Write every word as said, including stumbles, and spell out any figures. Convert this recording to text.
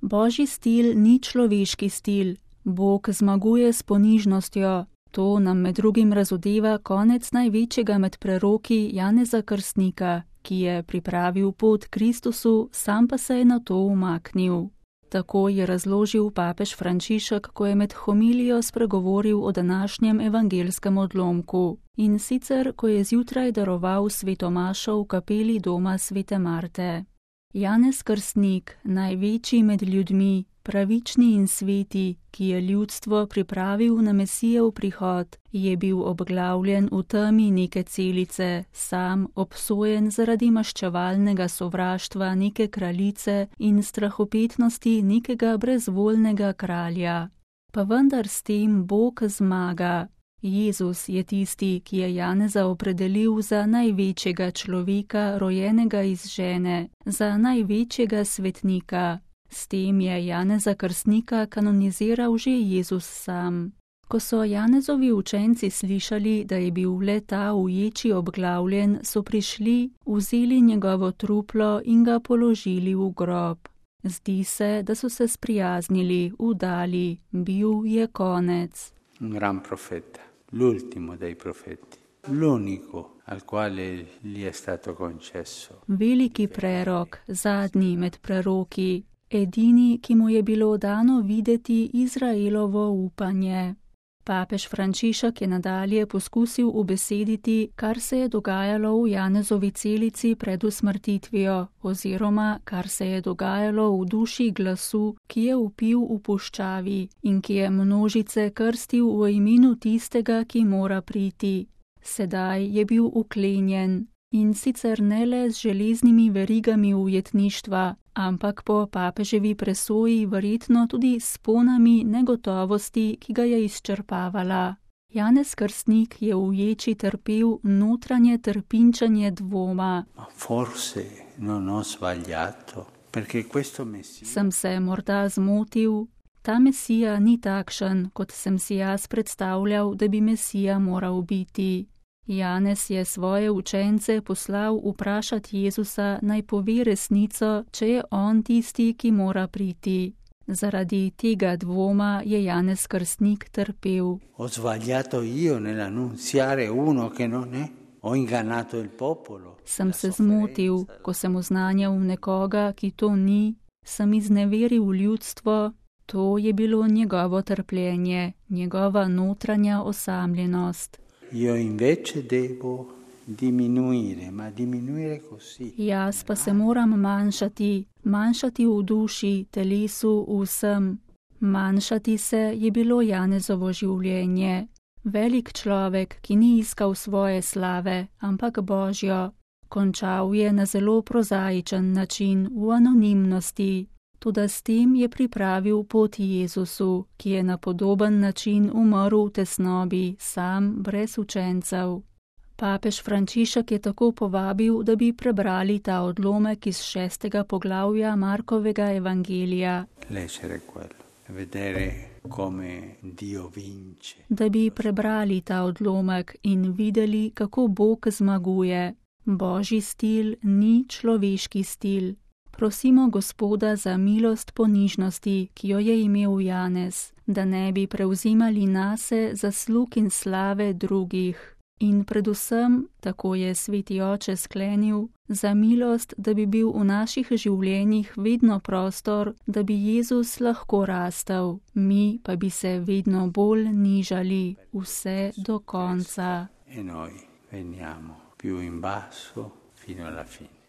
Božji stil ni človeški stil. Bog zmaguje s ponižnostjo. To nam med drugim razodeva konec največjega med preroki Janeza Krstnika, ki je pripravil pot Kristusu, sam pa se je na to umaknil. Tako je razložil papež Frančišek, ko je med homilijo spregovoril o današnjem evangelskem odlomku. In sicer, ko je zjutraj daroval sveto mašo v kapeli doma svete Marte. Janez Krstnik, največji med ljudmi, pravični in sveti, ki je ljudstvo pripravil na Mesijev prihod, je bil obglavljen v temi neke celice, sam obsojen zaradi maščevalnega sovraštva neke kraljice in strahopetnosti nekega brezvoljnega kralja. Pa vendar s tem Bog zmaga. Jezus je tisti, ki je Janeza opredelil za največjega človeka, rojenega iz žene, za največjega svetnika. S tem je Janeza Krstnika kanoniziral že Jezus sam. Ko so Janezovi učenci slišali, da je bil le ta v ječi obglavljen, so prišli, vzeli njegovo truplo in ga položili v grob. Zdi se, da so se sprijaznili, vdali, bil je konec. Un gran profeta, l'ultimo dei profeti, l'unico al quale gli è stato concesso. Veliki prerok, zadnji med preroki, edini, ki mu je bilo dano videti Izraelovo upanje. Papež Frančišek je nadalje poskusil ubesediti, kar se je dogajalo v Janezovi celici pred usmrtitvijo, oziroma kar se je dogajalo v duši glasu, ki je vpil v puščavi in ki je množice krstil v imenu tistega, ki mora priti. Sedaj je bil uklenjen. In sicer ne le z železnimi verigami ujetništva, ampak po papeževi presoji verjetno tudi s ponami negotovosti, ki ga je izčrpavala. Janez Krstnik je v ječi trpel notranje trpinčenje dvoma. Forse non ho sbagliato, perché questo Messia... Sem se morda zmotil? Ta Mesija ni takšen, kot sem si jaz predstavljal, da bi Mesija moral biti. Janez je svoje učence poslal vprašati Jezusa, naj pove resnico, če je on tisti, ki mora priti. Zaradi tega dvoma je Janez Krstnik trpel. Ho sbagliato io nell'annunziare uno che non è? Ho ingannato il popolo? Sem se zmotil, ko sem oznanjal nekoga, ki to ni, sem izneveril ljudstvo. To je bilo njegovo trpljenje, njegova notranja osamljenost. Io invece devo diminuire, ma diminuire così. Jaz pa se moram manjšati, manjšati v duši, telesu, vsem. Manjšati se je bilo Janezovo življenje. Velik človek, ki ni iskal svoje slave, ampak Božjo. Končal je na zelo prozaičen način, v anonimnosti. Toda s tem je pripravil pot Jezusu, ki je na podoben način umrl v tesnobi, sam, brez učencev. Papež Frančišek je tako povabil, da bi prebrali ta odlomek iz šestega poglavja Markovega evangelija. Da bi prebrali ta odlomek in videli, kako Bog zmaguje. Božji stil ni človeški stil. Prosimo Gospoda za milost ponižnosti, ki jo je imel Janez, da ne bi prevzimali nase zaslug in slave drugih. In predvsem, tako je sveti oče sklenil, za milost, da bi bil v naših življenjih vedno prostor, da bi Jezus lahko rastel, mi pa bi se vedno bolj nižali, vse do konca. E noi veniamo più in basso fino alla fine.